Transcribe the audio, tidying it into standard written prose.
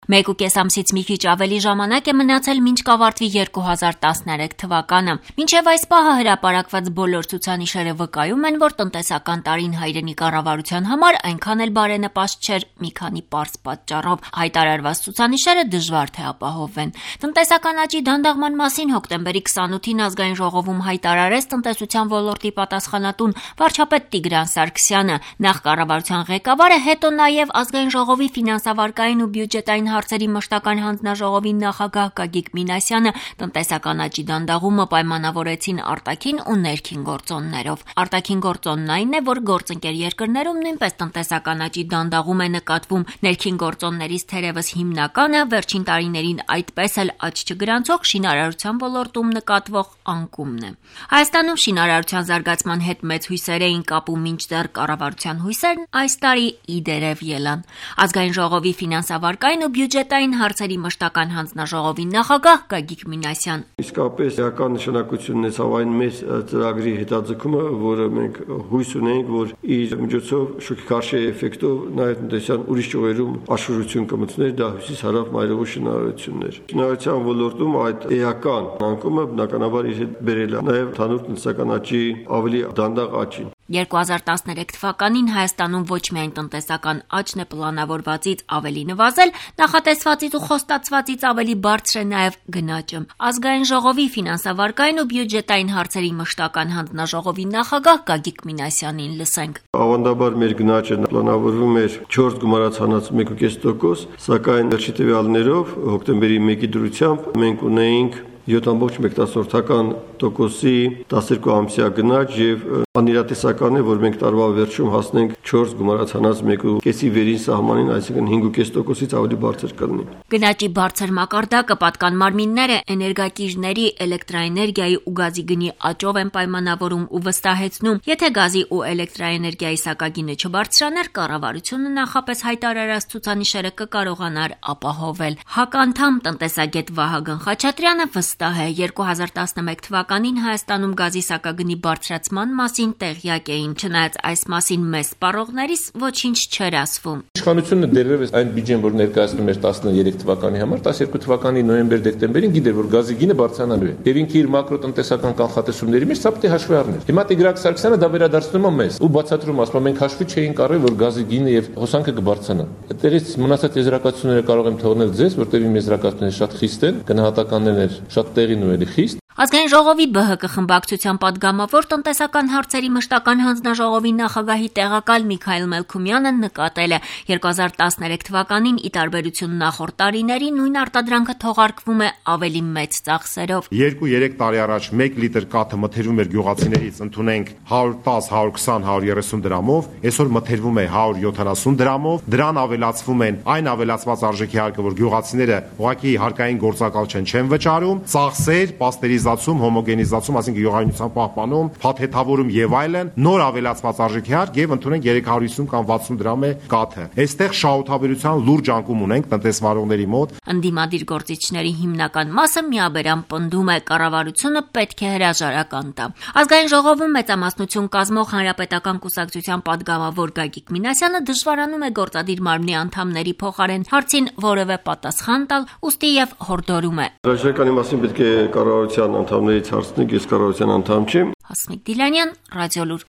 1.5 ամսից մի քիչ ավելի ժամանակ է մնացել մինչ կավարտվի 2013 թվականը։ Մինչև այս պահը հրապարակված բոլոր ցուցանիշերը վկայում են, որ տնտեսական տարին հայրենի կառավարության համար այնքան էլ բարենպաստ չէր մի քանի պարզ պատճառով։ Հայտարարված ցուցանիշերը դժվար թե ապահովվեն։ Տնտեսական աճի դանդաղման մասին հոկտեմբերի 28-ին ազգային ժողովում հայտարարեց տնտեսության ոլորտի պատասխանատուն վարչապետ Տիգրան Սարգսյանը։ Նախ կառավարության ղեկավարը, հետո նաև ազգային ժողովի ֆինանսավարկային ու բյուջետային հարցերի մշտական հանձնաժողովի նախագահ Գագիկ Մինասյանը տնտեսական աճի դանդաղումը պայմանավորեցին արտաքին ու ներքին գործոններով։ Արտաքին գործոնն այն է, որ գործընկեր երկրներում նույնպես տնտեսական աճի դանդաղում է նկատվում։ Ներքին գործոններից թերևս հիմնականը վերջին տարիներին այդպես էլ աճ չգրանցող շինարարության ոլորտում նկատվող անկումն է։ Հայաստանում շինարարության զարգացման հետ մեծ հույսեր էին կապում, մինչդեռ կառավարության հույսերն այս տարի իդերև ելան։ Ազգային ժողովի ֆինանսավարկային ու բյուջետային հարցերի մշտական հանձնաժողովի նախագահ Գագիկ Մինասյան. Իսկապես էական նշանակություն ունեցավ այն մեծ ծրագրի հետաձգումը, որը մենք հույս ունենք, որ իր միջոցով շուքքարշե էֆեկտով նաև տնտեսության ուրիշ ճյուղերում աշխուժություն կմտցներ, դա հյուսիս-հարավ մայրովի շինարարություններ։ Շինարարության ոլորտում այդ էական անկումը բնականաբար իր հետ բերել է նաև ընդհանուր տնտեսական աճի ավելի դանդաղ աճին։ 2013 թվականին Հայաստանում ոչ միայն տնտեսական աճն է պլանավորվածից ավելի նվազել, նախատեսվածից ու խոստացվածից ավելի բարձր է նաև գնաճը։ Ազգային ժողովի ֆինանսավարկային ու բյուջետային հարցերի մշտական հանձնաժողովի նախագահ Գագիկ Մինասյանին լսենք։ Ավանդաբար մեր գնաճը պլանավորվում էր 4 գումարացանած 1.5%, սակայն վերջի տվյալներով հոկտեմբերի 1-ի դրությամբ մենք ունեինք 7.1%-ի 12 ամսյա գնաճ եւ անիրատեսական է, որ մենք տարվա վերջում հասնենք 4 գումարացանած 1.5-ի վերին սահմանին, այսինքն 5.5%-ից ավելի բարձր կլինի։ Գնաճի բարձր մակարդակը պատկան մարմինները էներգակիրների, էլեկտրաէներգիայի ու գազի գնի աճով են պայմանավորում ու վստահեցնում։ Եթե գազի ու էլեկտրաէներգիայի սակագինը չբարձրանար, կառավարությունը նախապես հայտարարած ցուցանիշերը կկարողանար ապահովել։ ՀԱԿ-անդամ տնտեսագետ Վահագն Խաչատրյանը վստահ է, 2011 թվականին Հայաստանում գազի սակագնի բարձրացման մասին տեղյակ էին, չնայած այս մասին մեծ սպառողներից ոչինչ չէր ասվում։ Իշխանությունը դեռևս այն բյուջեն, որ ներկայացնում էր 13 թվականի համար, 12 թվականի նոյեմբեր-դեկտեմբերին գիտեր, որ գազի գինը բարձրանալու է։ Եվ ինքը իր մակրոտնտեսական կանխատեսումների մեջ սա պետք է հաշվի առներ։ Հիմա Տիգրան Սարգսյանը դա վերադարձնում է մեզ ու բացատրում, ասում է մենք հաշվի չէինք առել, որ գազի գինը եւ հոսանքը կբարձրանա։ Այդտեղից մնացած եզրակացությունները կարող եմ թողնել ձեզ, որտեղ իմ եզրակացությունները շատ խիստ են, գնահատականներն շատ տեղին ու էլի խիստ։ Ազգային ժողովի ԲՀԿ խմբակցության պատգամավոր տնտեսական հարցերի մշտական հանձնաժողովի նախագահի տեղակալ Միքայել Մելքումյանը նկատել է 2013 թվականին ի տարբերություն նախորդ տարիների նույն արտադրանքը թողարկվում է ավելի մեծ ծախսերով։ 2-3 տարի առաջ 1 լիտր կաթը մթերվում էր գյուղացիներից ընդունենք 110, 120, 130 դրամով, այսօր մթերվում է 170 դրամով, դրան ավելացվում են այն ավելացված արժեքի հարկը, որ գյուղացիները ուղղակի հարկային գործակալ չեն վճարում, ծախսեր, պաստերիզացում, հոմոգենիզացում, այսինքն յուղայնության պահպանում, փաթեթավորում եւ այլն, նոր ավելացված արժեքի հարկ եւ ընդունենք 350 կամ 60 դրամ է կաթը։ Այստեղ շահութաբերության լուրջ անկում ունենք տնտեսվարողների մոտ։ Ընդդիմադիր գործիչների հիմնական մասը միաբերան պնդում է, կառավարությունը պետք է հրաժարական տա։ Ազգային ժողովում մեծամասնություն կազմող Հանրապետական կուսակցության պատգամավոր Գագիկ Մինասյանը դժվարանում է գործադիր մարմնի անդամների փոխարեն հարցին որևէ պատասխան տալ, ուստի եւ հորդորում է։ Հրաժարականի մասին պետք է կառավարության անդամներից հարցնեք, ես կառավարության անդամ չեմ։ Հասմիկ Դիլանյան, Ռադիոլուր։